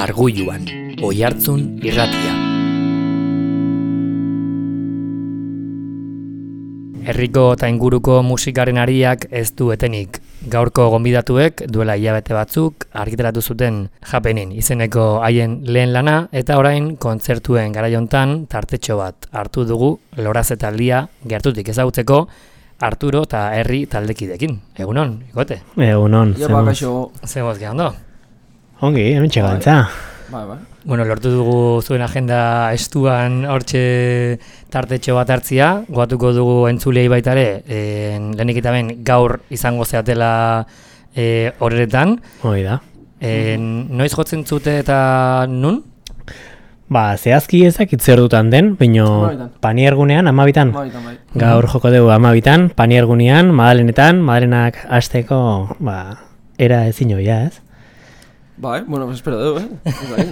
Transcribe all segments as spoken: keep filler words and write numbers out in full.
Argulluan, Oihartzun irratia. Herriko eta inguruko musikaren ariak ez du etenik. Gaurko gonbidatuek duela hilabete batzuk argitaratu zuten Happening izeneko haien lehen lana eta orain kontzertuen garaiontan tartetxo bat hartu dugu Lorazetaldia gertutik ezagutzeko Arturo eta Herri taldekidekin. Egunon, ikote? Egunon. Zemoz gehan do? Ongi, hemen txegantza. Bai, bai. Bueno, lortu dugu zuen agenda estuan hortxe tartetxo bat hartzia, goatuko dugu entzulei baitare, e, lehenik eta ben gaur izango zeatela e, horretan. Hoi da. E, noiz jotzen zute eta nun? Ba, zehazki ezakit zer dutan den, baino paniergunean, amabitan. Bai. Gaur joko dugu amabitan, paniergunean, Madalenetan, Madalenak hasteko, ba, era ezin joia, ez? Bai, bueno, pues espero dugu, eh?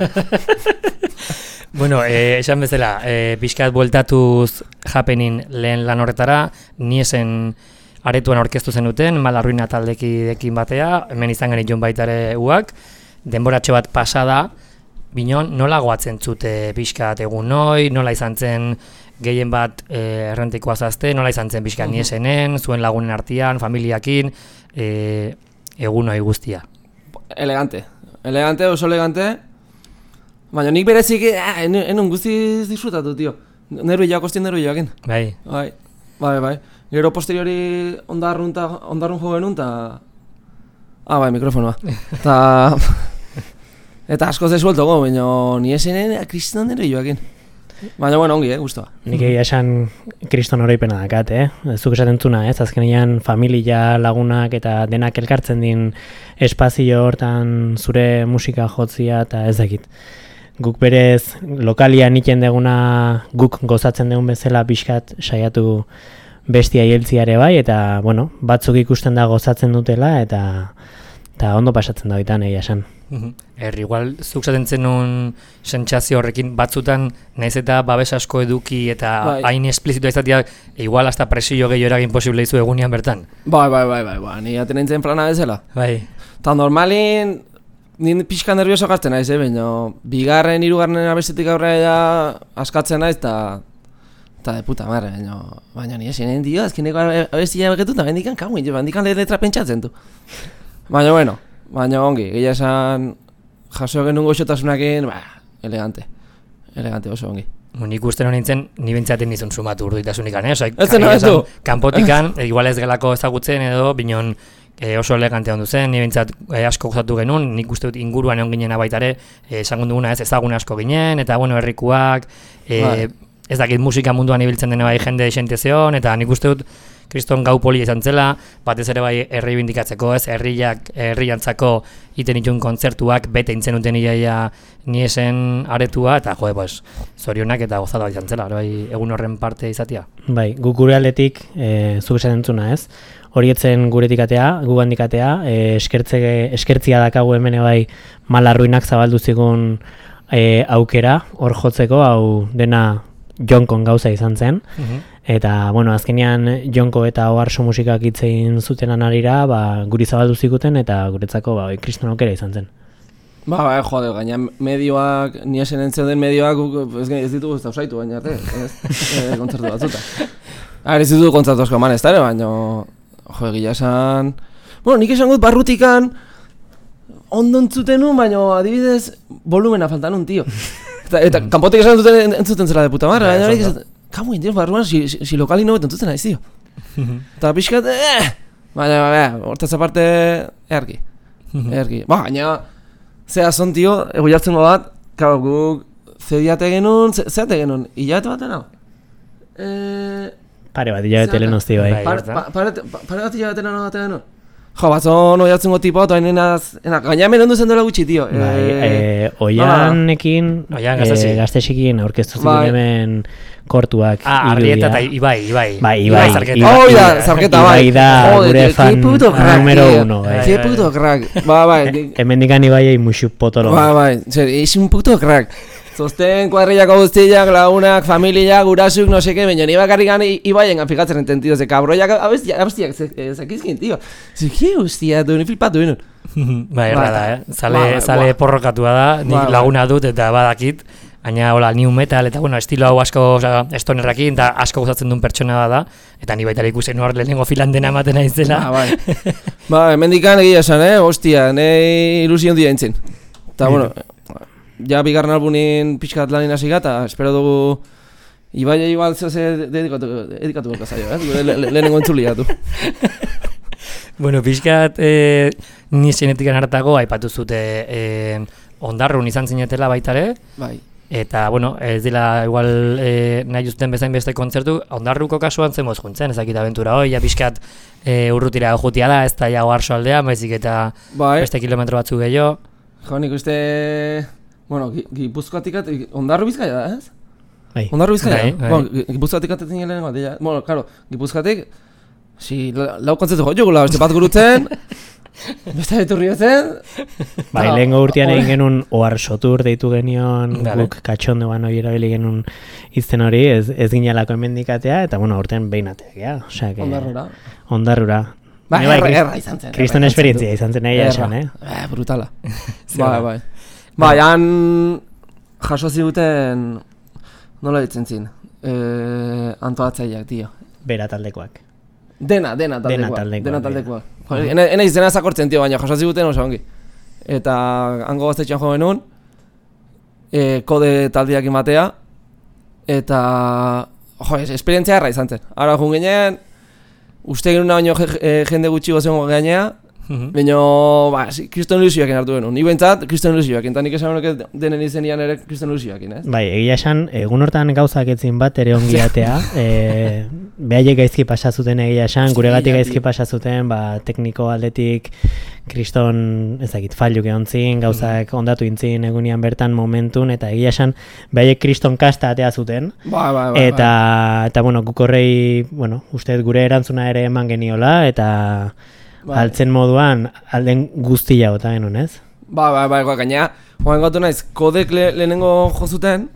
Bueno, eh, esan bezala, eh, pixkat bueltatuz Happening lehen lan horretara, niesen aretuan orkestu zenuten, Malarruina taldekidekin batea, hemen izan genitun baitare uak, denboratxo bat pasada, binon, nola goatzen zute pixkat egun noi, nola izan zen gehien bat eh, errentikoa zazte, nola izan zen pixkat niesenen, zuen lagunen artean, familiakin, eh, egun noi guztia. Elegante. Elegante, oso elegante. Baina nik berezik, eh, enun guztiz disfrutatu, tio. Nervioak, ostien nervioakin. Bai. Bai, bai, bai. Gero posteriori ondarrun, ta, ondarrun jo genuen, ta... Ah, bai, mikrofonoa. Ta... Eta asko zesuelto go, baina ni esenen kriston nervioakin. Baina, bueno, ongi, eh, guztua. Nik egia esan kriston oroipena dakat, eh? Zuk esaten zuna, ez? Azkenean familia, lagunak eta denak elkartzen din espazio hortan zure musika jotzia eta ez dakit. Guk berez lokalia niken deguna guk gozatzen dugun bezala pixkat saiatu bestia hieltziare bai, eta, bueno, batzuk ikusten da gozatzen dutela eta eta ondo pasatzen da bitan egia esan. Er, igual, zuk zaten zenun sentsazio horrekin batzutan naiz eta babes asko eduki eta bai. hain esplizitua izatea, igual hasta presio gehiago eragin posible izu egunean bertan. Bai, bai, bai, bai, bai, ni aten nintzen plana bezala. Bai. Ta normalin, nien pixka nervioso gartzen naiz, eh, baina bigarren, hirugarren abestetik aurrera ja askatzen naiz, eta eta de puta marre, baina, baina ni esinen dio, azkeneko abestia begetuta, bendikan kaguin, jo, bendikan letra pentsatzen du. Baina, bueno, baina ongi, gila esan jaso genuen goxotasunakin, ba, elegante, elegante oso ongi. Nik uste no nintzen, ni bentsaten nizun sumatu urditasunik, eh? Osa, ez zena ez du? Kanpotikan, igual ez gelako ezagutzen edo, binon e, oso elegante ondu zen, ni bentsat e, asko gozatu genuen, nik uste dut inguruan egon ginen baitare, e, esan duguna ez ezagun asko ginen, eta bueno, herrikuak, e, bai. Ez dakit musika munduan ibiltzen dena bai jende esente zeon, eta nik uste dut kriston gau poli izan zela, batez ere bai herri bindikatzeko, ez, herriak, herriantzako iten itun kontzertuak, bete intzen duten iaia niesen aretua, eta joe, pues, zorionak eta gozatu bat izan zela, bai, egun horren parte izatea. Bai, guk gure aldetik, e, zuk esaten zuna, ez? Horietzen guretik atea, gu handik atea, e, eskertze, eskertzia dakagu hemen bai Malarruinak zabaldu zigun e, aukera, hor jotzeko, hau dena Jonkon gauza izan zen, eta, bueno, azkenean Jonko eta Oharso musikak hitzein zutenan arira, ba, guri zabaldu zikuten, eta guretzako, ba, kriston aukera izan zen. Ba, ba, jode, gaina medioak, ni esen entzeu den medioak, ez, ez ditugu ez dausaitu, baina arte, ez, e, kontzertu batzuta. Ara, ez ditugu kontzertu asko eman ez dara, baina, jo, egia esan... Bueno, nik esan gut barrutikan, ondo entzuten nun, baina adibidez, volumena faltan nun, tio. Eta, eta kanpotik esan duten entzuten zela de puta marra, baina horiek esaten, kamu indien barruan, si, si, si lokali nobet entzuten naiz, tio. Eta pixkat, eh! Baina, baina, hortaz aparte, earki, earki. Ba, baina, zea zon, tio, ego jartzen bat, kau, guk, zediate genuen, zeate genuen, hilabete baten hau? Eh... Pare bat, hilabete lehen hozti bai. Pare bat hilabete lehen hozti genuen? Jo, batzon oiatzen goti pot, oain enaz, gaina hemen ondu zen dola gutxi, tio. Bai, e, Oianekin, Oian e, gaztesikin aurkeztu ziren hemen kortuak. Ah, Arrieta eta Ibai, Ibai. Bai, Ibai. Oh, da, zarketa, bai. Ibai da gure fan numero uno. Qué puto crack. Ba, bai. Hemen dikan Ibaiei musu potolo. Ba, bai, zer, es un puto crack. Zosten, kuadrillako guztiak, lagunak, familiak, gurasuk, no seke, baina ni bakarrik gana ibaien fikatzen entendido, ze kabroiak abestiak zekizkin, tio. Zeki guztia, du, ni flipatu benun. Bai, erra da, eh? Zale, zale porrokatua da, nik laguna dut eta badakit, baina hola, new metal, eta bueno, estilo hau asko estonerrakin, eta asko gozatzen duen pertsona da, eta ni baita ikusen hor lehenengo filan dena ematen aizela. Ba, bai. Ba, hemendikan egia esan, eh? Ostia, nahi ilusion dira entzin. Eta, bueno, ja bigarren albunin pixkat lanin hasi gata, espero dugu Ibaia igual zehose dedikatu gorka zaio, eh? Lehenengo entzulia du. Bueno, pixkat eh, ni zenetikan hartago aipatu zute eh, ondarrun izan zinetela baitare. Bai. Eta, bueno, ez dela igual eh, nahi uzten bezain beste kontzertu, ondarruko kasuan zen moz juntzen, ezakit abentura hoi, ja pixkat eh, urrutira jutia da, ez da jago arso aldean, baizik eta bai. Beste kilometro batzu gehiago. Jo, nik uste, bueno, Gipuzkoatik, ondarru Bizkaia da, ez? Bai. Ondarru Bizkaia bai, da? bai. Bueno, Gipuzkoatik atetzen gelen bat, ja. Bueno, claro, Gipuzkoatik, si, lau kontzertu jo jogula, beste bat gurutzen, beste beturri zen. Bai, lehengo urtean egin genuen ohar sotur deitu genion, guk katxondoan hori erabili genuen izten hori, ez, ez ginalako emendikatea, eta bueno, urtean behinateak, ja. Osea, que... Ondarrura. Ondarrura. Ba, erra, erra, erra izan zen. Kriston esperientzia izan zen egia esan, eh? Eh, brutala. Bai, bai. Bai, han jaso ziguten, nola ditzen zin, eh, antolatzaileak, tio. Bera taldekoak. Dena, dena taldekoak. Dena taldekoak. Dena taldekoak. Joder, ena, ena izena zakortzen, tio, baina jaso ziguten oso ongi. Eta hango gaztetxean jo genuen, eh, kode taldeak imatea, eta, jo, esperientzia erra izan zen. Ara jun ginen, uste genuen baino jende gutxi gozen gainea, baina, ba, kriston ilusioakin hartu genuen. Ni bentsat, kriston ilusioakin, eta nik esan honek denen izenian ere kriston ilusioakin, ez? Bai, egia esan, egun hortan gauzak etzin bat ere ongiatea, e, behaiek gaizki pasazuten egia esan, gure gatik gaizki pasazuten, ba, tekniko aldetik, kriston, ezagit, failuk egon zin, gauzak ondatu intzin egunian bertan momentun, eta egia esan, behaiek kriston kasta atea zuten, ba, ba, ba, eta, eta, bueno, guk horrei, bueno, uste gure erantzuna ere eman geniola, eta ba, altzen moduan, alden guztia gota genuen, ez? Ba, ba, ba, gaina, joan gotu naiz, kodek le, lehenengo jozuten,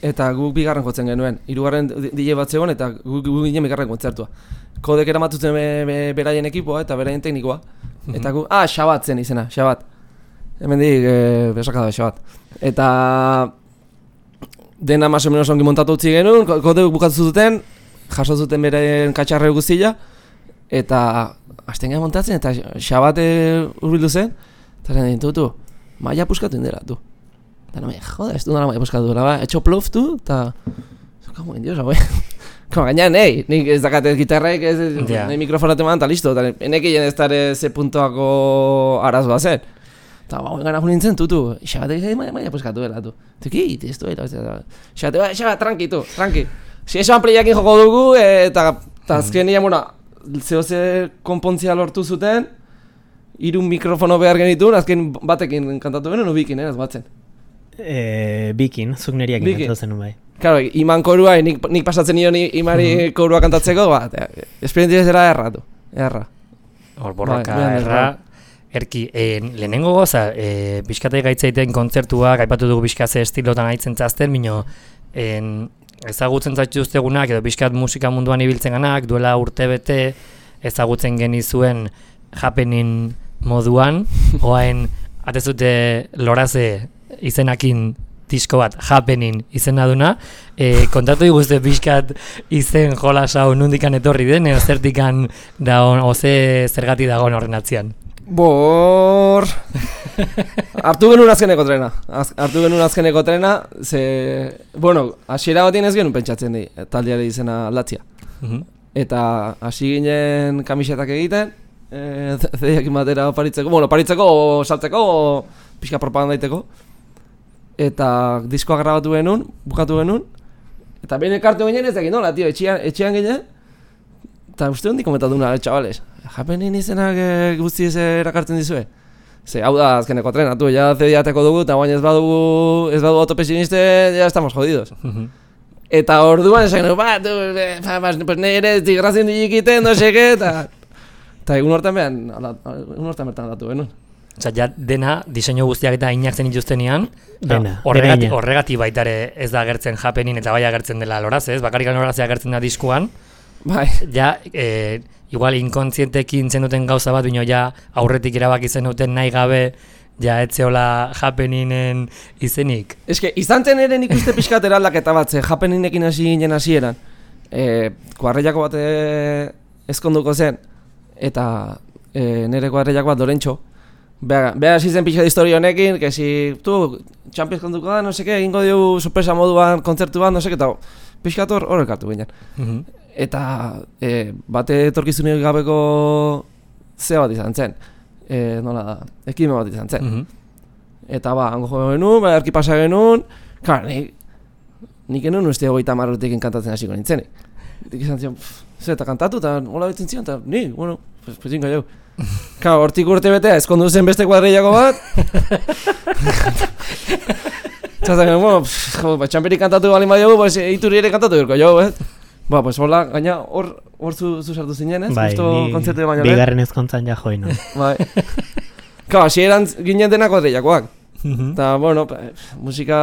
eta guk bigarren jotzen genuen. Hirugarren D J bat zegoen, eta guk, guk ginen bigarren kontzertua. Kodek eramatuten be, be, beraien ekipoa, eta beraien teknikoa. Eta guk, ah, Xabat zen izena, Xabat. Hemen dik, e, besakada Xabat. Eta dena más o menos ongi montatu utzi genuen, kodek bukatu zuten, jaso zuten beraien katxarre guztia, eta hasten gara montatzen, eta Xabat urbildu zen, eta zen dintutu, maia puskatu indela, du. Eta no me joda, ez du nara maia puskatu dela, ba, etxo plof, du, eta... Como en Dios, abe. Como gaina, nahi, nik ez dakate gitarraik, ez, yeah. Nahi mikrofonat eman, eta listo, eta enek egin ez dara ze puntoako arazoa zen. Eta ba, gana jun nintzen, tutu, Xabatek ez maia puskatu dela, du. Tuki, ez du, eta Xabatek, ba, Xabat, tranqui, tu, tranqui. Si eso ampliakin joko dugu, eta azken nian, bueno, zehose konpontzia lortu zuten, hiru mikrofono behar genituen, azken batekin kantatu genuen, ubikin, eh, ez batzen. E, bikin, zuk neriakin kantatu zenun bai. Claro, iman korua, nik, nik pasatzen nion imari uh -huh. korua kantatzeko, bat, esperientzia zera erra, du, erra. Hor borroka, ba, erra, erki, e, lehenengo goza, e, pixkatai gaitzaiten kontzertuak, aipatu dugu pixkatze estilotan aitzen zazten, mino, en, ezagutzen zaituztegunak edo pixkat musika munduan ibiltzen ganak, duela urte bete ezagutzen genizuen Happening moduan, oain atezute loraze izenakin disko bat, Happening izena duna, e, kontatu diguzte pixkat izen jolas hau nundikan etorri den, edo zertikan dagoen, oze zergati dagoen horren atzian. Bor... hartu genuen azkeneko trena, Az, hartu genuen azkeneko trena, ze... Bueno, hasiera batien ez genuen pentsatzen di, taldeare izena aldatzia. Uh -huh. Eta hasi ginen kamisetak egiten, e, zeiakin batera oparitzeko, bueno, oparitzeko, o saltzeko, o pixka propaganda daiteko. Eta diskoa grabatu genuen, bukatu genuen, eta behin ekartu ginen ez egin nola, tio, etxean, etxean ginen, eta uste hondi komentatu duna, chavales, Happening izenak e, guzti ez erakartzen dizue. Ze, hau da azkeneko trena, tu, ja zediateko dugu, eta baina ez badugu, ez badugu autopesiniste, ja estamos jodidos. Uh -huh. Eta orduan esan genuen, ba, tu, ba, ba, pues nire digrazien digikiten, no seke, eta... Eta egun hortan behan, egun hortan bertan aldatu genuen. Osea, ja dena, diseinu guztiak eta inak zen dituztenean, Dena, horregati, dena. horregati baita ere ez da agertzen Happening eta bai agertzen dela loraz, ez? Bakarrik loraz agertzen da diskuan, Bai. ja, e, igual inkontzientekin zenuten gauza bat, bino ja aurretik erabaki zenuten nahi gabe, ja etzeola Happeningen izenik. Eske, izan zen ere nik uste pixkat eraldaketa bat, ze Happeningekin hasi ginen hasieran. E, kuarreiako bat e, ezkonduko zen, eta e, nire kuarreiako bat Dorentxo. Beha, beha hasi zen pixkat historia honekin, que si, tu, Champions konduko da, no seke, egingo diu sorpresa moduan, kontzertu bat, no seke, eta pixkat hor horrek hartu ginen. Mhm. Eta e, bate etorkizunik gabeko ze bat izan zen, e, nola da, ekime bat izan zen. Mhm. Eta ba, hango jo genuen, ba, erki pasa genuen, klar, nik, nik genuen uste hogeita marrotekin kantatzen hasiko nintzenik. Dik izan zion, ze eta kantatu, eta hola bitzen zion, eta ni, bueno, pues, pues inga jau. Klar, hortik urte betea, ezkondu zen beste kuadreiako bat. Txatzen genuen, bueno, pff, jo, ba, txamperik kantatu balin badiogu, pues, ituri ere kantatu birko jau, eh? Ba, pues hola, gaina hor hor zu, zu sartu zinen, ez? Bai, Justo kontzertu baino lehen. bigarren ezkontzan ja join. Bai. Klar, hasieran ginen denak kuadreiakoak. Mhm. Eta, bueno, musika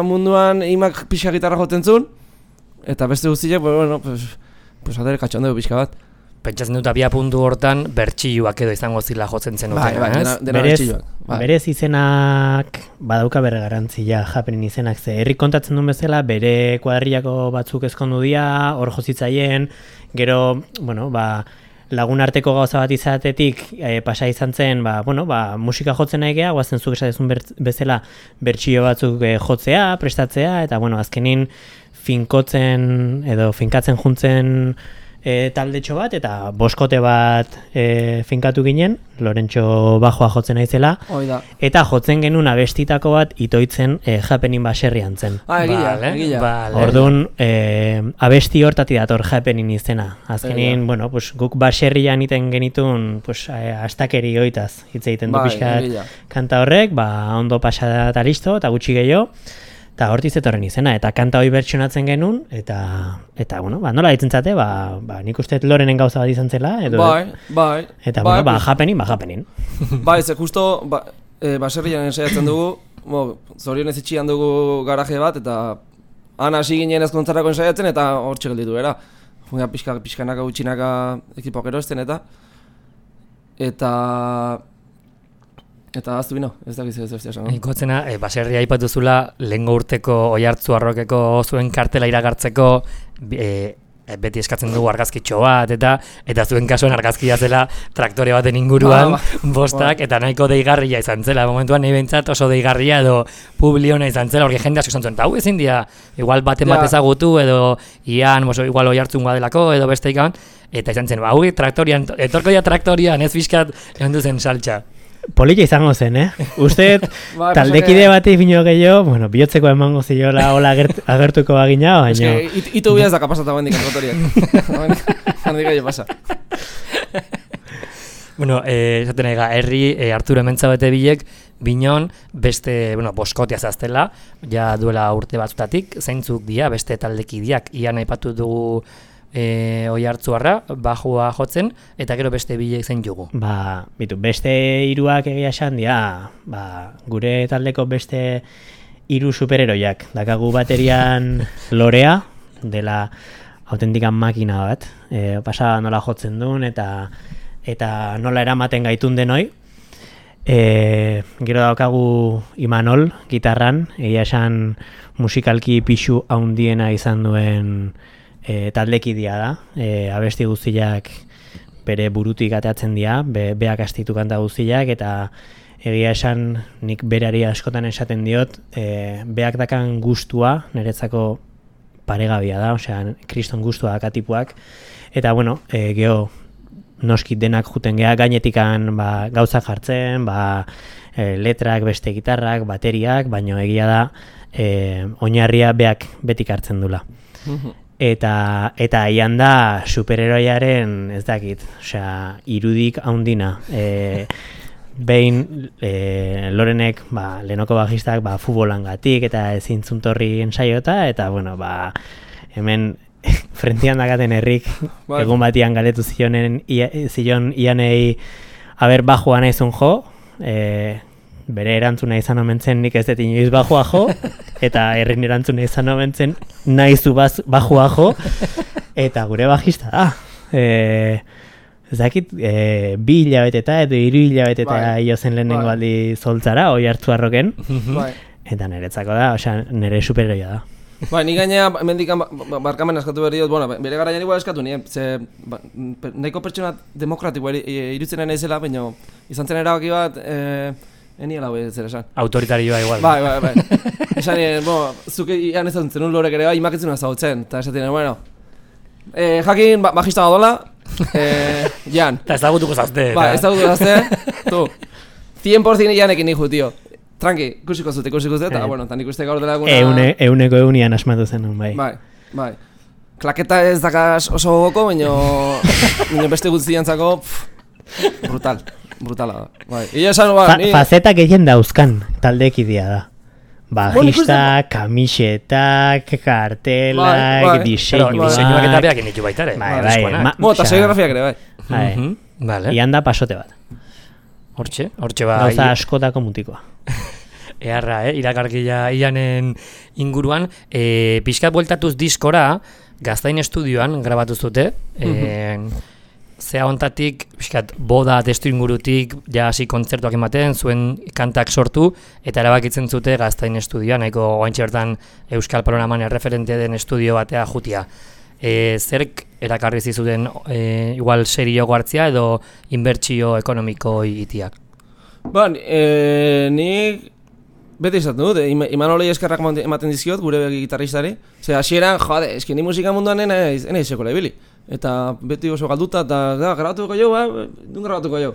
munduan imak pixka gitarra joten zuen, eta beste guztiak, bueno, pues, pues adere katxondeu pixka bat. Pentsatzen dut abia puntu hortan bertxilluak edo izango zila jotzen zen Bai, bai, dena, ez? dena Berez, bertxilloak. Bai. berez izenak badauka bere garantzia Happening izenak, ze herri kontatzen duen bezala bere kuadrillako batzuk ezkondu dira, hor jozitzaien, gero, bueno, ba, lagun arteko gauza bat izatetik e, pasa izan zen, ba, bueno, ba, musika jotzen nahi geha, guazen zuk esatezun bezala bertxio batzuk e, jotzea, prestatzea, eta bueno, azkenin finkotzen edo finkatzen juntzen e, taldetxo bat, eta boskote bat e, finkatu ginen, Lorentxo bajoa jotzen naizela, Hoi da. eta jotzen genuen abestitako bat itoitzen e, Happening baserrian zen. Ah, egila, Vale, egila. vale. Orduan, eh, abesti hortati dator Happening izena. Azkenin, Egia. bueno, pues, guk baserrian iten genitun pues, eh, astakeri oitaz hitz egiten du Bai, pixkat egila. kanta horrek, ba, ondo pasada eta listo, eta gutxi gehiago, eta hortiz etorren izena, eta kanta hori bertsionatzen genuen, eta, eta bueno, ba, nola ditzen zate, ba, ba, nik uste Lorenen gauza bat izan zela, edo, Bai, bai. eta bai, bueno, ba, pues, Happening, ba, Happening. bai, ze justo, ba, e, baserrian ensaiatzen dugu, bo, zorionez itxian dugu garaje bat, eta han hasi ginen ezkontzarako ensaiatzen, eta hor txegelditu gara. Funga pixka, pixkanaka gutxinaka ekipoak erosten, eta eta eta aztu bino, ez dakiz ez bestia esan. Ikotzena, e, baserria aipatuzula, lehengo urteko Oiartzu Arrokeko zuen kartela iragartzeko e, e, beti eskatzen dugu argazkitxo bat, eta eta zuen kasuan argazkia zela traktore baten inguruan, Ah, ba. bostak, Ba. eta nahiko deigarria izan zela. Momentuan nahi behintzat oso deigarria edo publiona izan zela, horri jende asko izan zuen, eta hau ezin dira, igual baten Ja. bat ezagutu, edo ian, oso, igual Oiartzun delako, edo beste ikan, eta izan zen, ba, hau traktorian, etorko ja traktorian, ez fiskat, egon duzen saltxa. Polilla izango zen, eh? Uste, Bai, taldekide bati bino gehiago, bueno, bihotzeko emango ziola hola agert, agertuko bagina, baina... Eske, it, itu bia ez da kapasata bendik antotoriak. Handik aio pasa. Bueno, eh, esaten nahi ga, herri eh, Arturo Hementzabete bilek, binon beste, bueno, boskotia zaztela, ja duela urte batzutatik, zeintzuk dira, beste taldekideak, ian aipatu dugu e, Oiartzuarra, bajua jotzen, eta gero beste bilek zein jugu. Ba, bitu, beste hiruak egia esan dira, ba, gure taldeko beste hiru superheroiak. Dakagu baterian Lorea, dela autentikan makina bat, e, pasa nola jotzen duen, eta eta nola eramaten gaitun denoi. E, gero daukagu Imanol, gitarran, egia esan musikalki pixu haundiena izan duen e, taldekidia da, e, abesti guztiak bere burutik ateatzen dira, be, beak astitu kanta guztiak, eta egia esan nik berari askotan esaten diot, e, beak dakan gustua, niretzako paregabia da, osea, kriston gustua dakatipuak, eta bueno, e, geho, noski denak juten geha gainetikan ba, gauza jartzen, ba, e, letrak, beste gitarrak, bateriak, baino egia da e, oinarria beak betik hartzen dula. Eta eta aian da superheroiaren, ez dakit, osea, irudik haundina. E, behin e, Lorenek, ba, lehenoko bajistak, ba, futbolangatik eta ezintzuntorri ensaiota, eta bueno, ba, hemen frentian dakaten herrik, Bai. egun batian galetu zionen ia, zion ianei aber bajua naizun jo, e, bere erantzuna izan omen zen nik ez dut inoiz bajua jo, eta herrin erantzuna izan omen zen nahizu bajua jo, eta gure bajista da. E, ez dakit, e, bi hilabeteta edo hiru hilabeteta bai. Jo zen lehenengo bai. Aldi zoltzara, oi hartzu arroken, bai. Eta niretzako da, osea, nire superheroia da. Ba, ni gainea, mendikan barkamen askatu behar diot, bueno, bere garaian igual eskatu nien, ze, ba, nahiko pertsona demokratikoa irutzen naizela, baina izan zen erabaki bat, e, eniela hori zer esan. Autoritarioa igual. Bai, bai, bai. Esan nien, bo, zuke ian ez zentzen un lorek ere bai, imakitzen azautzen, eta esatzen, bueno, e, jakin, ba, bajista badola, e, jan. Eta ez dagutuko zazte. Ba, ez dagutuko zazte, tu, cien por ciento janekin nijo, tío. Tranqui, kusiko zute, kusiko zute, eta, bueno, tan ikuste gaur dela eguna... Eune, euneko eunian asmatu zen, bai. Bai, bai. Klaketa ez dakaz oso gogoko, baina... baina beste guztiantzako... Brutal, brutala da. Bai. Ia esan, ba, Fa, ni... Fazetak egin dauzkan taldekidia da. Bajista, kamisetak, kartelak, bai, bai. diseinuak... Pero diseinuak eta beak initu baita ere. Bai, bai. Ma, Mo, eta serigrafiak ere, bai. Bai. Uh-huh. Vale. Ian da pasote bat. Hortxe, hortxe ba... Gauza askotako mutikoa. Eharra, eh? Irakarkia Ianen inguruan. E, pixkat bueltatuz diskora, Gaztain estudioan grabatu zute. E, zea hontatik, pixkat, boda testu ingurutik, ja hasi kontzertuak ematen, zuen kantak sortu, eta erabakitzen zute Gaztain estudioan, nahiko oaintxe bertan Euskal Panoraman erreferente den estudio batea jutia. E, zerk erakarri zizuten e, igual serio hartzia edo inbertsio ekonomiko itiak? Ba, e, nik beti izaten dut, Imanolei eskerrak ematen dizkiot gure gitarristari. Zer, hasieran, jode, eski ni musika munduan ena izekola ibili. Eta beti oso galduta, eta da, grabatuko jo, ba, dun grabatuko jo.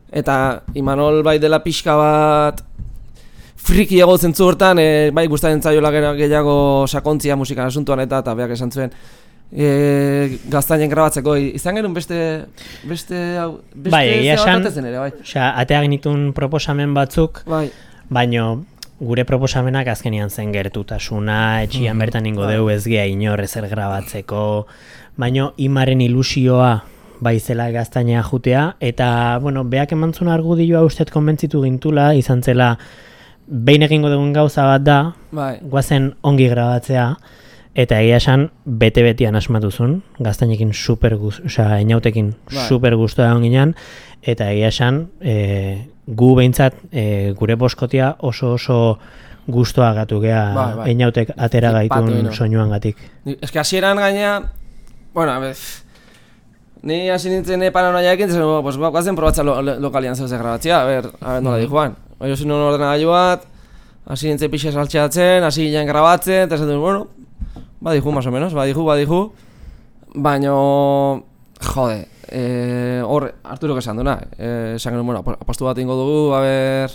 Eta Imanol bai dela pixka bat friki ego zentzu hortan, e, bai gustatzen zaiola gehiago sakontzia musikan asuntuan eta eta beak esan zuen. E, Gaztainen grabatzeko izan genuen beste beste beste bai, esan, ere, bai. Osea, atea genitun proposamen batzuk, bai. Baino gure proposamenak azkenian zen gertutasuna, etxian bertan ingo deu ez gea inor ezer grabatzeko, baino Imaren ilusioa bai zela Gaztainea jutea, eta, bueno, beak emantzun argudioa ustet konbentzitu gintula, izan zela behin egingo dugun gauza bat da, bai. Guazen ongi grabatzea, eta egia esan bete-betian asmatuzun, Gaztainekin super guztu, osea, Einautekin bai. Super guztua egon ginen, eta egia esan e, gu behintzat e, gure boskotia oso oso guztua gatu gea bai, bai. Einautek atera gaitun soinuan gatik. Ez que hasieran gaina, bueno, bez, ni hasi nintzen paranoiaekin, zen, pues, guazen probatzea lo, lo, lokalian zeuze grabatzea, a ber, a ber nola di joan. Oio zin un ordenagailu bat, hasi nintzen pixe saltxeatzen, hasi ginen grabatzen, eta esaten, bueno, badihu, más o menos, badihu, badihu, baino, jode, hor, eh, Arturok esan duna, eh, esan genuen, bueno, apostu bat ingo dugu, a ber,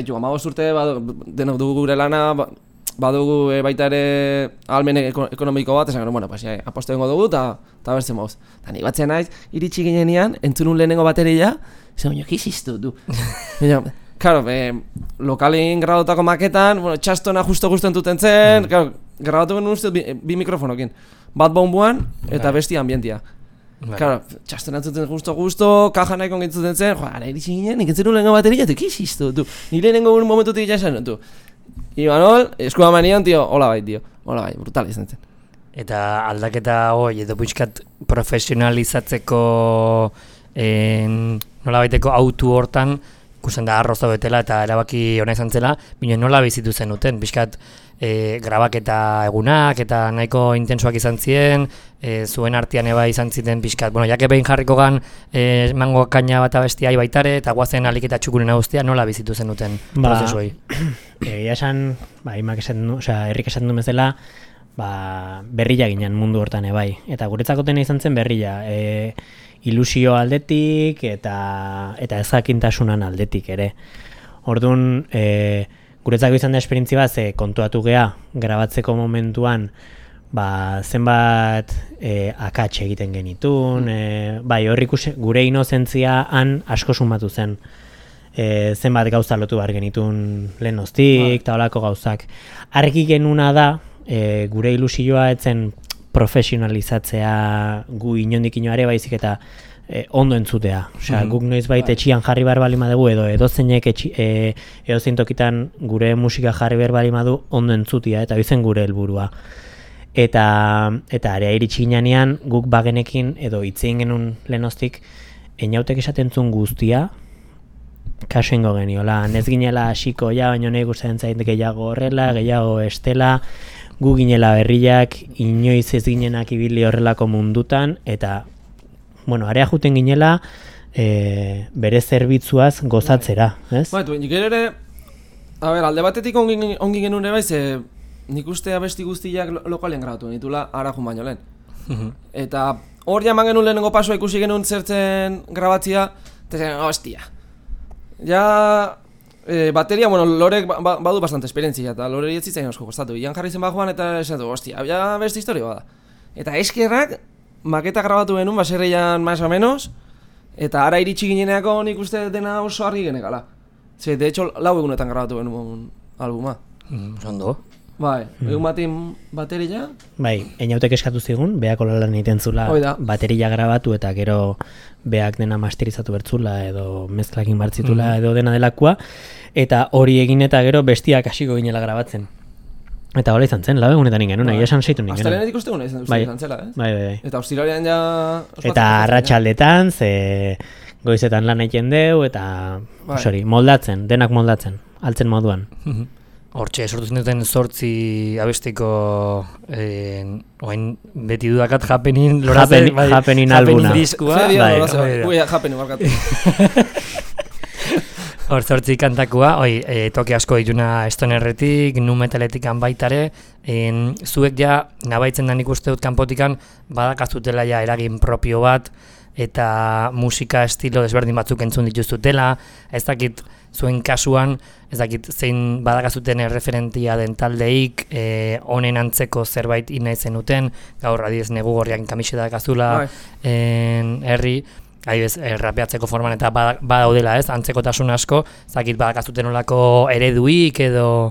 jo, amabost urte, denok dugu gure lana, badugu e, baita ere ahalmen ekonomiko bat, esan genuen, bueno, pues, ja, apostu ingo dugu, eta bertzen mauz. Eta nik batzen naiz, iritsi ginean, entzunun lehenengo bateria, esan, baina, kiziztu, du. Claro, eh, lokalin grabotako maketan, bueno, txastona justo-justo entuten zen, mm. claro, grabatu genuen uste bi, bi mikrofonokin. Bat bombuan eta besti ambientia. Right. Claro, txastona entzuten justo-justo, kaja nahiko entzuten zen, joa, ara iritsi ginen, nik entzun lehenengo bateria, tu, kiziztu, du. Ni lehenengo momentutik jasen, tu. Imanol, eskua manian, tio, hola bai, tio, hola bai, brutal izan zen. Eta aldaketa hoi, edo buizkat profesionalizatzeko en, nola baiteko autu hortan, ikusten da arroza betela eta erabaki ona izan zela, bine nola bizitu zenuten, bizkat e, grabaketa egunak eta nahiko intensoak izan ziren, e, zuen artean eba izan ziren bizkat, bueno, jake behin jarriko gan e, mango kaina bat abestia baitare eta guazen alik eta txukuren agustia, nola bizitu zenuten ba, prozesuei? Egia esan, ba, imak esan du, osea, herrik esan du bezala, ba, berrila ginen mundu hortan ebai, eta guretzako tena izan zen berrila, e, ilusio aldetik eta eta ezakintasunan aldetik ere. Orduan, e, guretzako izan da esperientzia bat, ze kontuatu gea grabatzeko momentuan, ba, zenbat e, akats egiten genitun, e, bai, hor ikusi gure inozentzia han asko sumatu zen. E, zenbat gauza lotu behar genitun lehenoztik, eta holako gauzak. Argi genuna da, e, gure ilusioa etzen profesionalizatzea gu inondik inoare baizik eta e, ondo entzutea. Osea, Mhm. guk noizbait etxian jarri behar bali madugu edo edozeinek etxi, e, edozein tokitan gure musika jarri behar bali madu ondo entzutia eta izen gure helburua. Eta eta area iritsi ginean guk bagenekin edo hitzein genuen lehenoztik Einautek esaten zuen guztia kaso ingo geniola. Ez ginela hasiko ja, baina nahi gustatzen zait gehiago horrela, gehiago estela, gu ginela berriak, inoiz ez ginenak ibili horrelako mundutan, eta, bueno, area juten ginela e, bere zerbitzuaz gozatzera, ez? Ba, nik ere, a ber, alde batetik ongi, ongi genuen ere bai, ze nik uste abesti guztiak lo lokalen grabatu nitula arajun baino lehen. Eta hor jaman genuen lehenengo pasoa ikusi genuen zertzen grabatzia, eta zen, hostia. Ja, e, bateria, bueno, Lorek ba, ba, badu bastante esperientzia, eta Lorek ez zitzaien asko kostatu. Ian jarri zen bajoan eta esan du, hostia, ja beste historia bada. Eta eskerrak, maketa grabatu genuen, baserreian más o menos, eta ara iritsi gineneako nik uste dena oso argi genekala. Ze, de hecho, lau egunetan grabatu genuen albuma. Mm, ondo. Bai, egun batin bateria. Bai, Einautek eskatu zigun, beak olalan egiten zula bateria grabatu eta gero beak dena masterizatu bertzula edo mezklakin bartzitula mm. edo dena delakoa, eta hori egin eta gero bestiak hasiko ginela grabatzen. Eta hola izan zen, lau egunetan ingen, nahi esan seitu ningen. Astelenetik uste guna izan, bai, izan zela, ez? Bai, bai, bai. Eta ostiralean ja... Eta arratsaldetan, ze goizetan lan egiten deu, eta bai. Sorry, moldatzen, denak moldatzen, altzen moduan. Hortxe, sortu zinuten zortzi abestiko eh, oain beti dudakat Happening lorazen, Happening, bai, happening albuna. Diskua. Bai, bai, Happening barkatu. Hor zortzi kantakua, oi, e, toke asko dituna stonerretik, nu metaletikan baitare, en, zuek ja nabaitzen da nik uste dut kanpotikan badakazutela ja eragin propio bat, eta musika estilo desberdin batzuk entzun dituzutela, ez dakit zuen kasuan, ez dakit zein badakazuten erreferentia den taldeik, e, honen antzeko zerbait ina zenuten, gaur adiez negu gorriak kamiseta dakazula, en, herri, Aibez, eh, rapeatzeko forman eta badaudela ez, antzekotasun asko, zakit badakazuten olako ereduik edo...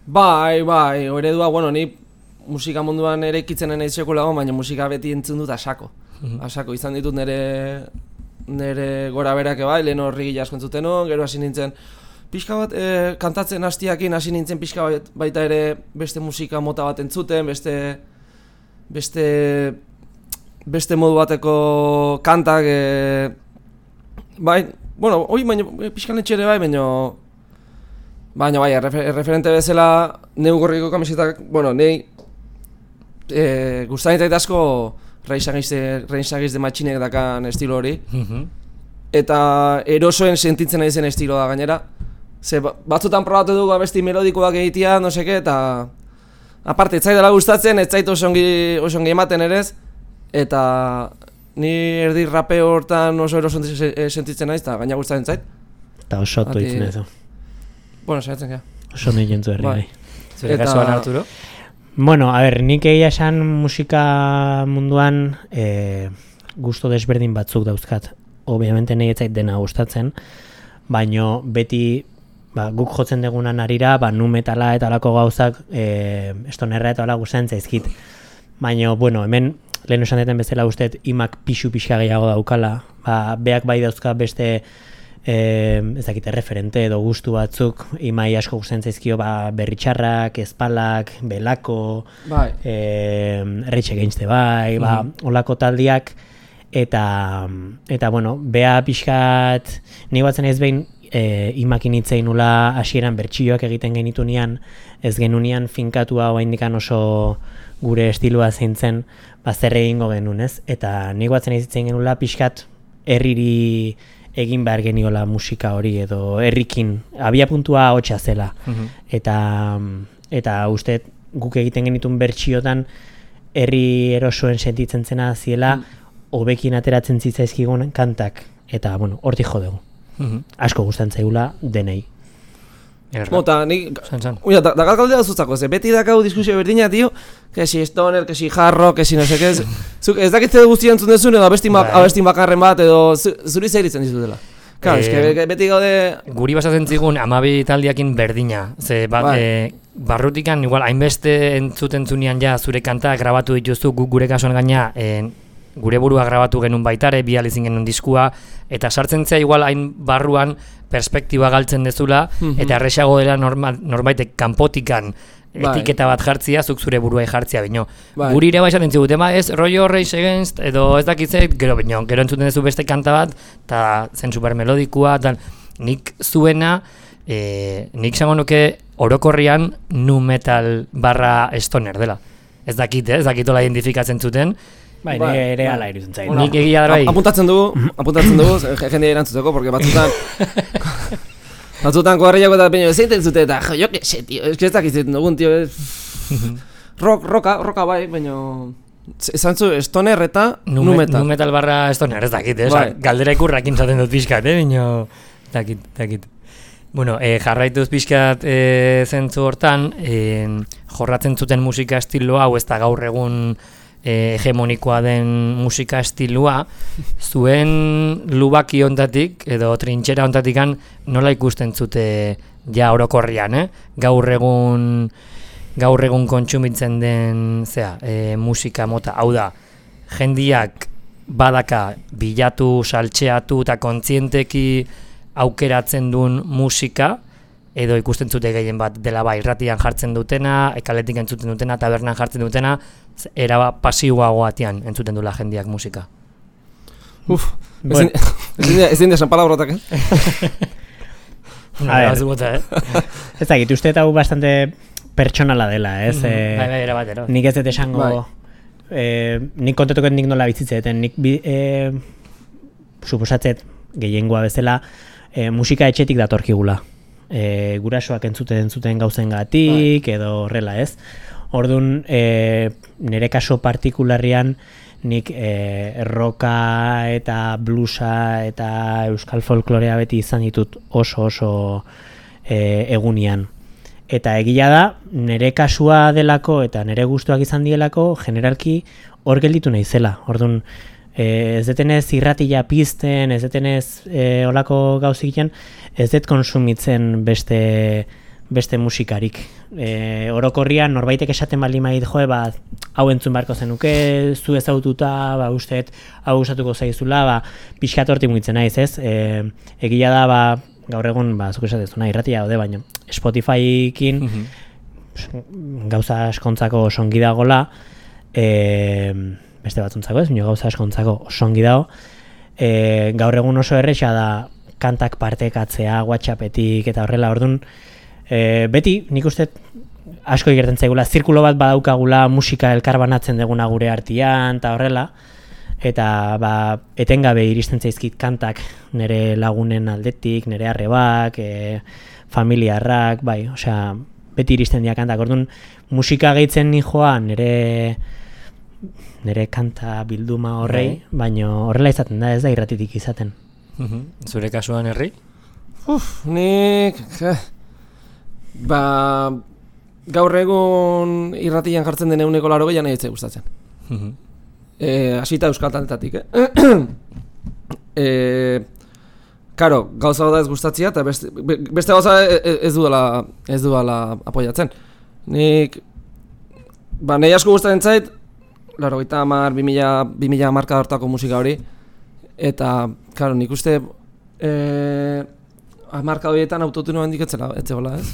Bai, bai, eredua, bueno, ni musika munduan ere ikitzen nahi sekulago, baina musika beti entzun dut asako. Asako, izan ditut nire, nire gora berak bai, lehen horri gila asko entzuten hon, gero hasi nintzen pixka bat, eh, kantatzen hastiakin hasi nintzen pixka bat, baita ere beste musika mota bat entzuten, beste... beste... beste modu bateko kantak, e, bai, bueno, hoi baino, pixkan etxere bai, baino, baina bai, refer, referente bezala, neu gorriko kamisetak, bueno, nei, e, gustatzen zait asko Rage de Machinek dakan estilo hori, eta erosoen sentitzen nahi zen estiloa gainera, ze batzutan probatu dugu abesti melodikoak egitea, no seke, eta aparte, ez zaidala gustatzen, ez zait oso ongi ematen ere ez, eta ni erdi rapeo hortan oso eroso sentitzen naiz, eta gaina gustatzen zait. Eta oso otu ditzen ez. Bueno, saiatzen gara. Oso nahi jentzu herri bai. Zure kasuan, Arturo? Bueno, a ber, nik egia esan musika munduan e, gusto desberdin batzuk dauzkat. Obviamente nahi ez zait dena gustatzen, baino beti ba, guk jotzen degunan arira, ba, nu metala eta alako gauzak e, estonerra eta ala gustatzen zaizkit. Baina, bueno, hemen lehen esan deten bezala usteet imak pixu pixka gehiago daukala, ba, beak bai dauzka beste e, ez dakite referente edo gustu batzuk, imai asko gustatzen zaizkio ba, berritxarrak, espalak, belako, bai. e, Rage Against the bai, ba, olako taldiak, eta, eta bueno, bea pixkat, nahi batzen ez behin e, imakin hitzein nula hasieran bertsioak egiten genitu nian, ez genunian finkatua oaindikan oso gure estiloa zein zen, ba, zer egingo genuen, ez? Eta nik batzen izitzen genula pixkat herriri egin behar geniola musika hori edo herrikin, abia puntua hotxa zela. Uh-huh. Eta, eta uste guk egiten genitun bertsiotan herri erosoen sentitzen zena ziela hobekin uh-huh. ateratzen zitzaizkigun kantak. Eta, bueno, hortik jo dugu. Uh-huh. Asko gustatzen zaigula denei. Mota, nik... Uia, da galdea zutzako, ze beti dakau diskusio berdina, tio, que si stoner, que si jarro, que si no se que ez... Ez dakitze guztia entzun dezun edo abestin bakarren bat edo zuri zeiritzen dizutela. Claro, es que beti gaude... Guri basatzen zigun amabi taldiakin berdina, ze barrutikan igual hainbeste entzuten zunean ja zure kanta grabatu dituzu guk gure kasuan gaina gure burua grabatu genuen baitare, bi alizin genuen diskua, eta sartzen zea igual hain barruan perspektiba galtzen dezula, Mhm. eta erresago dela norma, norbaitek kanpotikan Bai. etiketa bat jartzia, zuk zure buruai jartzia bino. Bai. Guri ere baixaten ziguten, ba, ez rollo Rage Against, edo ez dakitzet, gero bino, gero entzuten duzu beste kanta bat, eta zen super melodikua, eta nik zuena, e, nik zango nuke orokorrian nu metal barra stoner dela. Ez dakit, eh? Ez dakitola identifikatzen zuten. Bai, Bai, nire ere bai. ala iruditzen zait. Bueno, Nik egia da bai. ap- Apuntatzen dugu, apuntatzen dugu, je- jendea erantzuteko, porque batzutan... batzutan koharriako eta peño zeiten zute, eta jo, jo que se, tío, es que ez dakitzen dugun, tío, es... rock, roka, roka bai, baina... Esan zu, stoner eta Nu, nu me- metal. nu metal barra stoner, ez dakit, eh? Osa, Bai. galdera ikurrakin zaten dut pixkat, eh? Bino, dakit, dakit. Bueno, eh, jarraituz pixkat eh, zentzu hortan, eh, jorratzen zuten musika estiloa, hau ez da gaur egun eh, hegemonikoa den musika estilua, zuen lubaki ontatik, edo trintxera ontatikan, nola ikusten zute ja orokorrian, eh? Gaur egun... gaur egun kontsumitzen den zea, e, musika mota, hau da, jendiak badaka bilatu, saltxeatu eta kontzienteki aukeratzen duen musika, edo ikusten zute gehien bat dela bai, irratian jartzen dutena, ekaletik entzuten dutena, tabernan jartzen dutena, era pasiboagoatian entzuten dula jendiak musika. Uf, Bueno. ezin desan palabrotak, eh? A ver. Bazu bota, eh? Ez dakit, uste eta hau bastante pertsonala dela, ez? Eh, Bai, bai, era batero. nik ez dut esango, Bai. eh, nik kontatuko nik nola bizitzeten, nik bi, eh, suposatzet gehiengoa bezala eh, musika etxetik datorkigula. Eh, gurasoak entzuten entzuten gauzengatik edo horrela, ez? Ordun eh, nire kaso partikularrian nik eh, roka eta bluesa eta euskal folklorea beti izan ditut oso oso eh, egunian. Eta egia da, nire kasua delako eta nire gustuak izan dielako, generalki hor gelditu naizela. Orduan, e, ez detenez irratila pizten, ez detenez e, olako gauzikian, ez dut konsumitzen beste beste musikarik. E, orokorrian norbaitek esaten baldin badit, joe, ba, hau entzun beharko zenuke, zu ezagututa, ba, usteet hau gustatuko zaizula, ba, pixkat hortik mugitzen naiz, ez? E, egia da, ba, gaur egun, ba, zuk esatezuna, irratia daude, baina Spotify-kin gauza askontzako osongi dagola, e, beste batzuntzako ez, baina gauza askontzako osongi dago, e, gaur egun oso erresa da kantak partekatzea, WhatsAppetik eta horrela, orduan, e, beti nik uste asko igertzen zaigula, zirkulo bat badaukagula musika elkarbanatzen deguna gure artean eta horrela, eta ba, etengabe iristen zaizkit kantak nire lagunen aldetik, nire arrebak, e, familiarrak, bai, osea, beti iristen dira kantak. Orduan, musika gehitzen nijoa nire nire kanta bilduma horrei, baina horrela izaten da, ez da irratitik izaten. Zure kasuan herri? Uf, nik... eh, ba... Gaur egun irratian jartzen den eguneko laro gehiago nahi gustatzen. Eh, hasita euskal taletatik, eh? eh, karo, gauza da ez gustatzia eta beste, be- beste gauza ez, ez dudala ez dudala apoiatzen. Nik ba nahi asko gustatzen zait laurogeita hamar, bi mila marka hortako musika hori eta karo, nik uste eh marka horietan autotune handik etzela, etzegola, ez?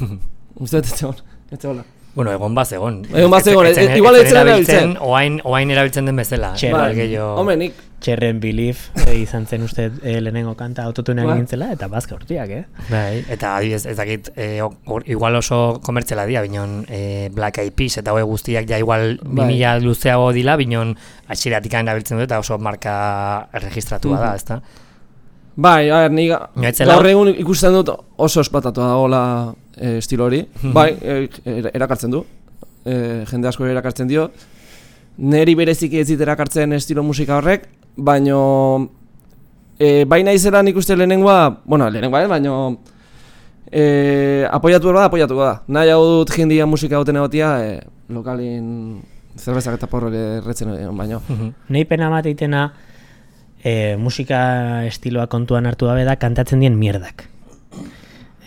Uste dut etzegola, etzegola. Bueno, egon baz egon. Egon baz egon, Ez- ez- e- igual ez- ez zen erabiltzen, erabiltzen. Oain, oain erabiltzen den bezala. Txerren. Igual gehiago- Hombre, nik Cherren Belief e, izan zen uste e, lehenengo kanta autotunean Bai. egintzela, eta bazka urtiak, eh? Bai, eta adibidez, ez dakit, e, or, igual oso komertziala dira, binon e, Black Eyed Peas eta hoe guztiak ja igual Bai. bi mila luzeago dila, binon atxiratik erabiltzen dut eta oso marka erregistratua da, Mhm. ezta? bai, a ber, ni ga- Noitzela- gaur egun ikusten dut oso espatatua dagoela e, estilo hori. Mhm. Bai, e, er- erakartzen du. E, jende asko erakartzen dio. Neri bereziki ez dit erakartzen estilo musika horrek, baino e, bai naizela nik uste lehenengoa, bueno, lehenengoa ez, baino e, apoiatu behar da, apoiatuko da. Nahi hau dut jendia musika duten egotia, e, lokalin zerbezak eta porro erretzen egon baino. Nei pena bat eitena e, musika estiloa kontuan hartu gabe da kantatzen dien mierdak.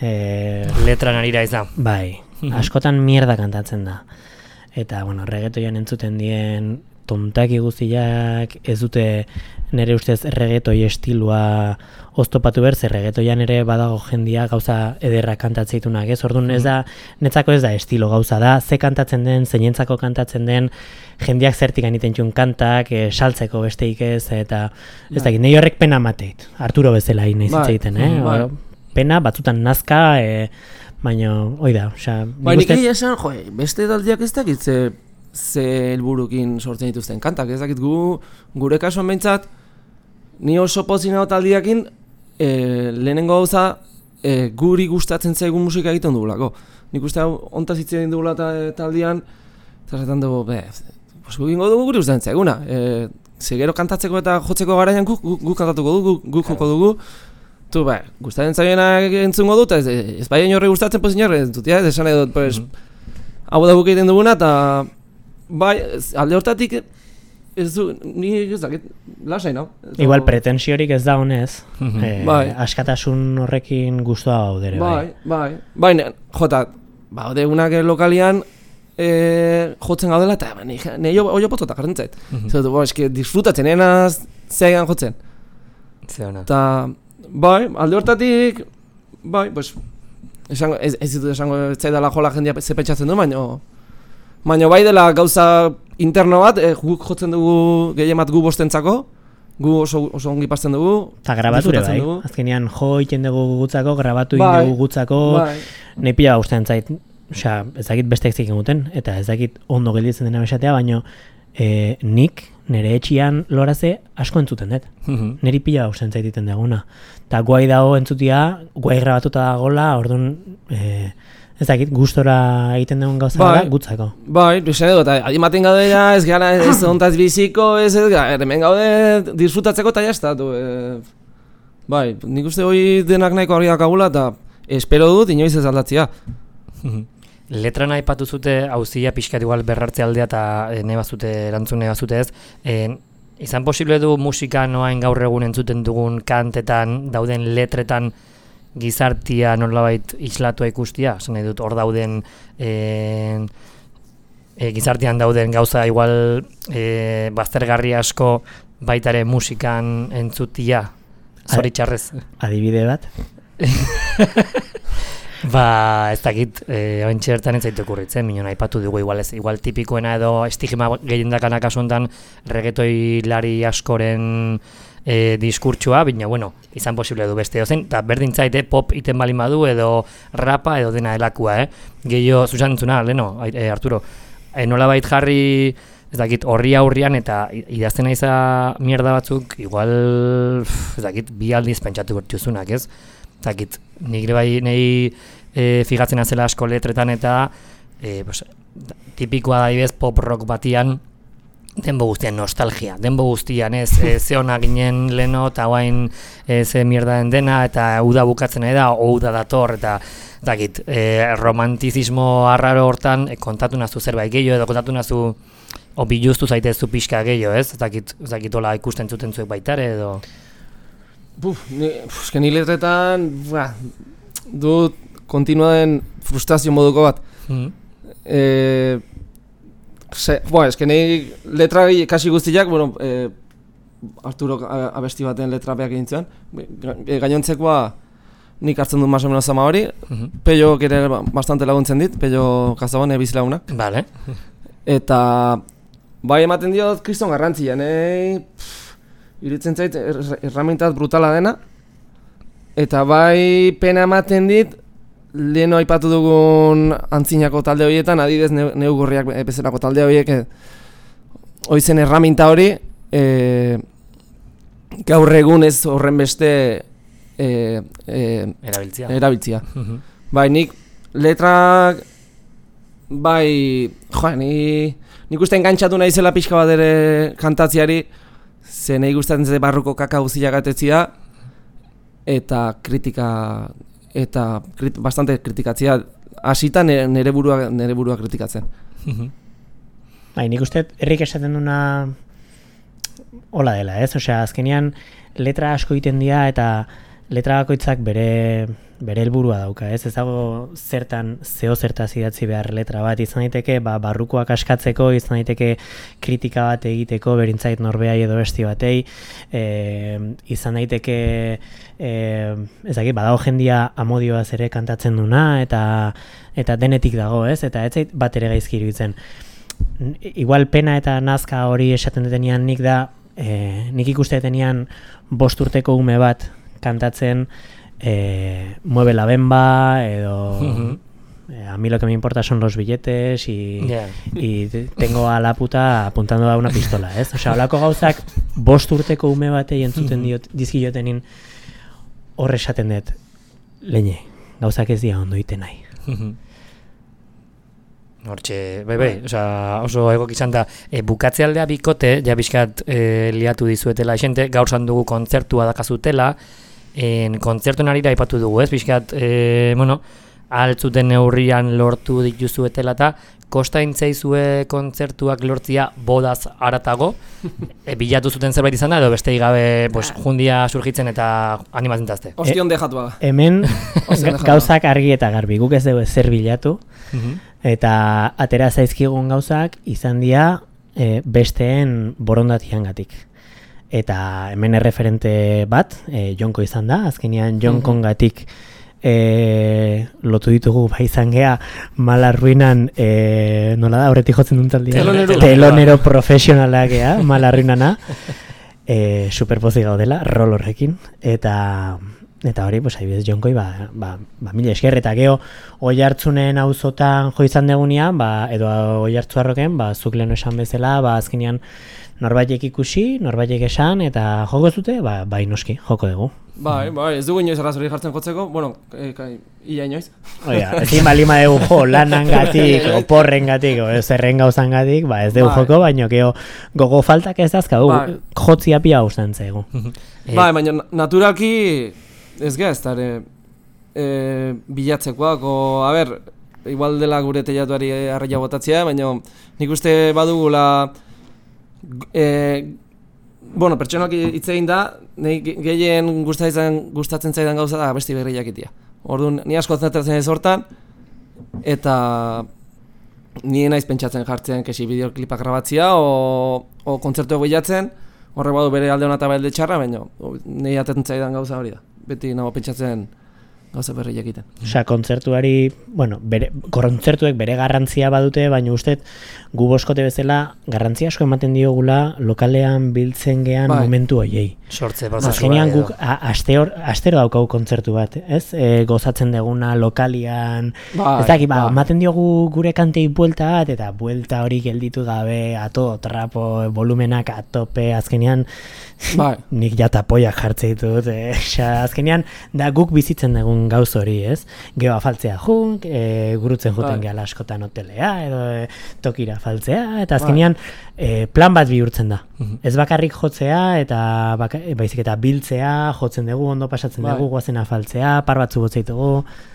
E, Letran arira izan. bai, askotan mierda kantatzen da. Eta, bueno, reggaetoian entzuten dien tontaki guztiak ez dute nire ustez regetoi estilua oztopatu behar, zer regetoian ere badago jendia gauza ederra kantatzeitunak, ez? Orduan ez da, netzako ez da estilo gauza da, ze kantatzen den, zeinentzako kantatzen den, jendiak zertik anitentxun kantak, e, saltzeko besteik ez, eta ez dakit, nahi horrek pena mateit, Arturo bezala nahi zitzeiten, eh? Bai. Pena, batzutan nazka, e, baina, hoi da, osea... Bai, nik egia esan, jo, beste taldeak ez dakit ze, ze helburukin sortzen dituzten kantak, ez dakit gu, gure kasuan behintzat, ni oso pozin hau taldiakin, e, lehenengo gauza, e, guri gustatzen zaigun musika egiten dugulako. Nik uste hau, ontaz hitz egin dugula ta, taldian, eta zaten dugu, be, pues gu gingo dugu guri gustatzen zaiguna. E, ze gero kantatzeko eta jotzeko garaian guk gu, gu kantatuko dugu, guk gu joko dugu, tu, ba, gustatzen zaienak entzungo dut, ez, ez bai horre gustatzen pozin horre entzut, ja, ez esan edo, pues, mm-hmm. hau da guk egiten duguna, eta bai, alde hortatik, ez du, ni ez dakit, lasai, no? Igual pretensiorik ez da honez, Mm-hmm. eh, bai. askatasun horrekin guztua gaudere, bai. Bai, bai, bai, jota, ba, deunak lokalian, e, jotzen gaudela, eta ba, nahi oio potota jartzen zait. Mhm. Zer dut, ba, eski, disfrutatzen, enaz, zeegan jotzen. Ze ona. Eta, bai, alde hortatik, bai, pues, esango, ez, ez ditut esango zaidala jola jendia ze pentsatzen du, baina, baina bai dela gauza interno bat, e, guk jotzen dugu gehiemat gu bostentzako, gu oso, oso ongi pasten dugu. Eta grabature bai, disfrutatzen dugu. azkenean jo iten dugu gutzako, grabatu Bai. egin dugu gutzako, Bai. nahi pila gustatzen zait, osea, ez dakit besteak zik egiten, eta ez dakit ondo gelditzen dena besatea, baina e, nik nire etxian loraze asko entzuten dut. Mhm. Niri pila gustatzen zait egiten daguna. Eta guai dago entzutia, guai grabatuta dagoela, orduan, e, ez dakit, gustora egiten dugun gauza Bai. da, gutzako. Bai, esan edo, eta adimaten gaude ja, ez gara ez ontaz biziko, ez ez gara, hemen gaude disfrutatzeko eta jaztatu. E, bai, nik uste hori denak nahiko argiak agula, eta espero dut inoiz ez aldatzea. Letran aipatu zute auzia pixkat igual berrartze aldea eta e, nebazute erantzun nebazute ez. E, izan posible du musika noain gaur egun entzuten dugun kantetan, dauden letretan gizartia nolabait islatua ikustia? Esan nahi dut hor dauden e, e, gizartian dauden gauza igual e, baztergarri asko baitare musikan entzutia, zoritxarrez. Adibide bat? Ba, ez dakit, eh, ointxe bertan ez zaitu okurritzen, minon aipatu dugu igual ez, igual tipikoena edo estigma gehiendakana kasu honetan reggaetoilari askoren eh, diskurtsua, baina bueno, izan posible du beste dozen, eta berdin zaite pop iten balin badu edo rapa edo dena elakua, eh? Gehiago zuzan entzuna, leno, eh, Arturo, eh, nolabait jarri, ez dakit, horri aurrian eta idazten naiza mierda batzuk, igual, ez dakit, bi aldiz pentsatu bertuzunak, ez? Zakit, nik bai nahi e, figatzen azela asko letretan eta e, pues, tipikoa da ibez pop rock batian denbo guztian nostalgia, denbo guztian ez e, ze ona ginen leno eta guain e, ze mierda den dena eta uda bukatzen nahi da, ouda dator eta zakit, e, romantizismo arraro hortan e, kontatu nazu zerbait gehiago edo kontatu nazu o biluztu zaitezu pixka gehiago ez, zakit, zakit hola ikusten zuten zuek baitare edo... Buf, ni, eske ni letretan, ba, dut kontinua den frustrazio moduko bat. Mm. E, se, boa, eske ni letra kasi guztiak, bueno, e, Arturo abesti baten letrapeak egin zuen, e, gainontzekoa nik hartzen dut más o menos ama hori, Mm-hmm. Pellok ere bastante laguntzen dit, Pello Kazabone bizilagunak. Vale. Eta bai ematen diot kriston garrantzia, nei... Iritzen zait erramintat brutala dena, eta bai pena ematen dit leheno aipatu dugun antzinako talde horietan, adibidez neu, neugorriak bezalako talde horiek oizen erraminta hori e, gaur egun ez horren beste e, e, Erabiltzia. erabiltzia. Mhm. Bai, nik letrak bai, joa, ni, nik uste engantzatu naizela pixka bat ere kantatziari, ze nahi gustatzen ze barruko kaka guztiak atetzia eta kritika eta krit, bastante kritikatzea hasita nere, nere burua nere burua kritikatzen. Bai, nik uste herrik esaten duna hola dela, ez? Osea, azkenean letra asko egiten dira eta letra bakoitzak bere bere helburua dauka, ez? Ez dago zertan zeo zertaz idatzi behar letra bat, izan daiteke ba, barrukoak askatzeko, izan daiteke kritika bat egiteko, berintzait norbeai edo besti batei, e, izan daiteke e, ez dakit, badago jendia amodioaz ere kantatzen duna, eta eta denetik dago, ez? Eta ez zait bat ere gaizki iruditzen. Igual pena eta nazka hori esaten detenean nik da, e, nik ikuste detenean bost urteko ume bat kantatzen Eh, mueve la bemba edo uh-huh. eh, a mí lo que me importa son los billetes y, yeah. y tengo a la puta apuntando a una pistola, ez? Osea, holako gauzak bost urteko ume batei entzuten diot, dizkiotenin hor esaten dut leñe, gauzak ez dira ondo iten nahi. Uh-huh. Hortxe, bai, bai, osea, oso egok izan da, e, bukatze aldea bikote, ja bizkat e, liatu dizuetela esente, gaur zan dugu kontzertua dakazutela, en kontzertuen arira aipatu dugu, ez? Bizkat, e, bueno, altzuten neurrian lortu dituzuetela eta kosta intzaizue kontzertuak lortzia bodaz aratago, e, bilatu zuten zerbait izan da, edo beste gabe pues, jundia surgitzen eta animatzen tazte. Ostion dejatua. Hemen gauzak argi eta garbi, guk ez dugu zer bilatu, uh-huh. eta atera zaizkigun gauzak izan dira e, besteen borondatiangatik. Eta hemen erreferente bat, e, Jonko izan da, azkenean Jonkongatik e, lotu ditugu bai izan gea Malarruinan, e, nola da, horretik jotzen dut taldia? Telonero, telonero profesionalak gea, Malarruinana, e, superpozik gaudela, rol horrekin, eta eta hori, pues, adibidez, Jonkoi, ba, ba, ba mila esker, eta geho, oi hartzunen auzotan jo izan degunean, ba, edo oi hartzuarroken, ba, zuk leheno esan bezala, ba, azkenean, norbaitek ikusi, norbaitek esan, eta joko zute, ba, bai noski, joko dugu. Bai, bai, ez dugu inoiz arrazori jartzen jotzeko, bueno, e, kai, ia inoiz. Oia, ezin balima dugu jo, lanangatik, oporrengatik, o zerren gauzangatik, ba, ez dugu bai. Joko, baino, geho, gogo faltak ez dazkagu, bai. Jotzia pia guztan zaigu. Bai, baina naturalki, ez gaz, tare, e, bilatzekoak, o, a ber, igual dela gure teiatuari arraia botatzea, baina nik uste badugula, E, bueno, pertsonak hitz egin da, nahi gehien gustatzen, gustatzen zaidan gauza da besti berri jakitia. Orduan, ni asko zentratzen ez hortan, eta ni naiz pentsatzen jartzen kesi bideoklipak grabatzia, o, o kontzertuak bilatzen, horrek badu bere alde hona eta belde txarra, baina nahi atetzen zaidan gauza hori da. Beti nago pentsatzen gauza berri jakiten. Osea, kontzertuari, bueno, bere, kontzertuek bere garrantzia badute, baina ustez gu boskote bezala garrantzia asko ematen diogula lokalean biltzen gean bai. Momentu hoiei. Sortze prozesua. Azkenean guk asteor, astero daukagu kontzertu bat, ez? E, gozatzen deguna lokalian, bai, ez dakit, ba, bai. Ematen diogu gure kantei buelta bat, eta buelta hori gelditu gabe, ato, trapo, volumenak atope, azkenean, bai. Nik jata poiak jartze ditut, e, xa, azkenean, da guk bizitzen dugun gauz hori, ez? Geo afaltzea junk, e, gurutzen juten bai. Gehala askotan hotelea, edo e, tokira afaltzea, eta azkenean e, plan bat bihurtzen da. Uh-huh. Ez bakarrik jotzea, eta baka, baizik eta biltzea, jotzen dugu, ondo pasatzen bai. Dugu, guazen afaltzea, par batzu gotzeitugu.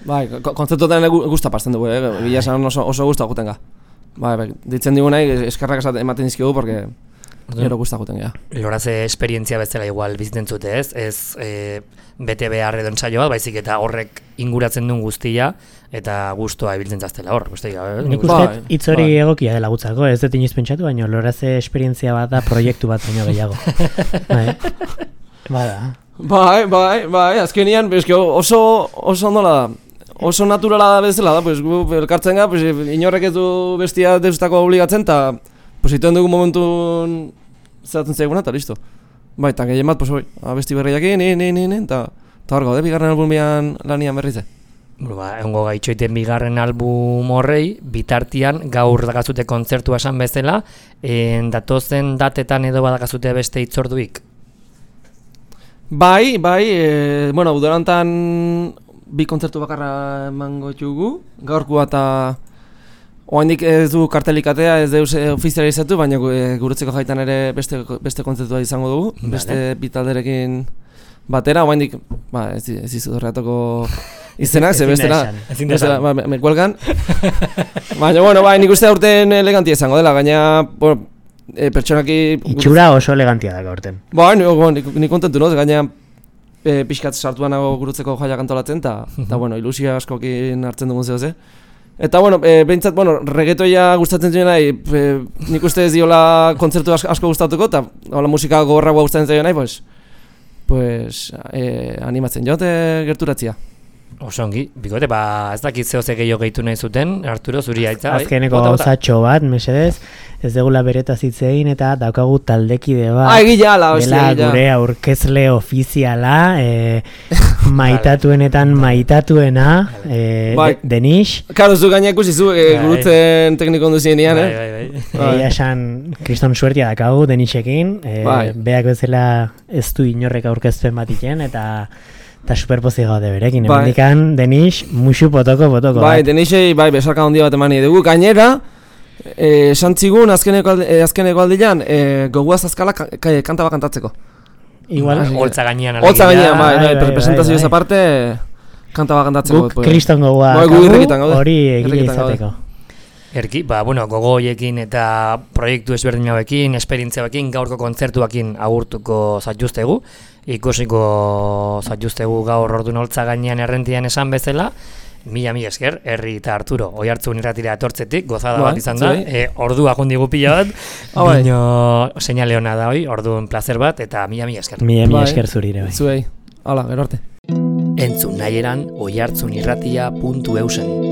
Bai, kontzertuetan guzta pasten dugu, eh? Gila esan oso, oso guzta guten ga. Bai, bai, ditzen digu nahi, eskarrak ematen dizkigu, porque gero guzta guten ga. Loraze esperientzia bezala igual bizitzen zute, ez? Ez e, bete behar edo entzaio bat, baizik eta horrek inguratzen duen guztia, eta gustoa ibiltzen zaztela hor. Nik uste hitz hori bai. Egokia dela gutzako, ez dut inoiz pentsatu, baina loraze esperientzia bat da proiektu bat baino gehiago. Bai. Bada. Bai, bai, bai, azkenian, oso, oso ondola da. Oso naturala da bezala da, pues, gu elkartzen ga, pues, inorrek ez du bestia deustako obligatzen, eta pues, iten dugu momentun zeratzen zaiguna, eta listo. Bai, eta gehien bat, pues, oi, abesti berriakin, ni, ni, ni, ni, eta hor gaude, bigarren albumian lanian berrize. Ba, egongo gaitxoiten bigarren album horrei, bitartian gaur dakazute kontzertua esan bezala, en datozen datetan edo badakazute beste hitzorduik? Bai, bai, e, bueno, udarantan bi kontzertu bakarra emango ditugu, gaurkoa eta oraindik ez du kartelikatea, ez deus ofizializatu, baina guretzeko jaitan ere beste beste kontzertua izango dugu, vale. Beste bi talderekin batera, oraindik, ba, ez ez dizut horretako izenak, ze bestela, bestela, ba, me cuelgan. Baina bueno, bai, nik uste aurten elegantia izango dela, gaina, bueno, e, pertsonaki itxura oso elegantia da gaurten. Ba, ni, ni, ni kontentu, no? Gaina e, pixkat sartuan nago gurutzeko jaiak antolatzen, eta, eta bueno, ilusia askokin hartzen dugun zehoz, Eta, bueno, e, behintzat, bueno, reggaetoia gustatzen zuen nahi, e, nik uste ez diola kontzertu asko, asko gustatuko, eta hola musika gogorra gustatzen zuen nahi, pues, pues e, animatzen jote gerturatzia. Osongi, bikote, ba, ez dakit zehose gehiago gehitu nahi zuten, Arturo, zuri aitza, bai? Azkeneko gauzatxo bat, mesedez, ez degula beretaz hitzein eta daukagu taldekide bat. Ah, egila, ala, hostia, dela gure aurkezle ofiziala, e, maitatuenetan maitatuena, e, bai. de, Denis. Karo, zu gainak ikusi zu, e, gurutzen tekniko onduzienean, eh? Bai, bai, bai. Egia esan, kriston suertia dakagu Denisekin, e, Bai. beak bezala ez du inorrek aurkezpen bat iken, eta eta superpozik gaude berekin, Bai. emendikan Denis musu potoko potoko Bai, bat. Denisei, bai, besarka handia bat emani dugu, gainera, eh, santzigun azkeneko, aldi, eh, azkeneko aldian, eh, goguaz azkala ka, ka, kanta bat kantatzeko. Igual, Holtza gainean Holtza gainean, bai, bai, bai, bai, presentazioz bai, bai. aparte, kanta bat kantatzeko. guk kriston gogoa Bai, gu dakagu, irrikitan gaude. hori egile Irrikitan gaude. izateko. Erki, ba, bueno, gogo hoiekin eta proiektu ezberdin hauekin, esperientziaekin, gaurko kontzertuakin agurtuko zaituztegu. Ikusiko zaituztegu gaur ordun holtza gainean errentian esan bezala. Mila mila esker, Herri eta Arturo, Oihartzun irratira etortzetik, gozada Bai, bat izan da, zuei. e, ordua jundigu pila bat, Ah, bai. bino seinale ona da hoi, orduan placer bat, eta mila mila esker. Mila mila Bai. esker zurire bai. Zuei, hala, gero arte. Entzun nahi eran oihartzunirratia puntu eusen.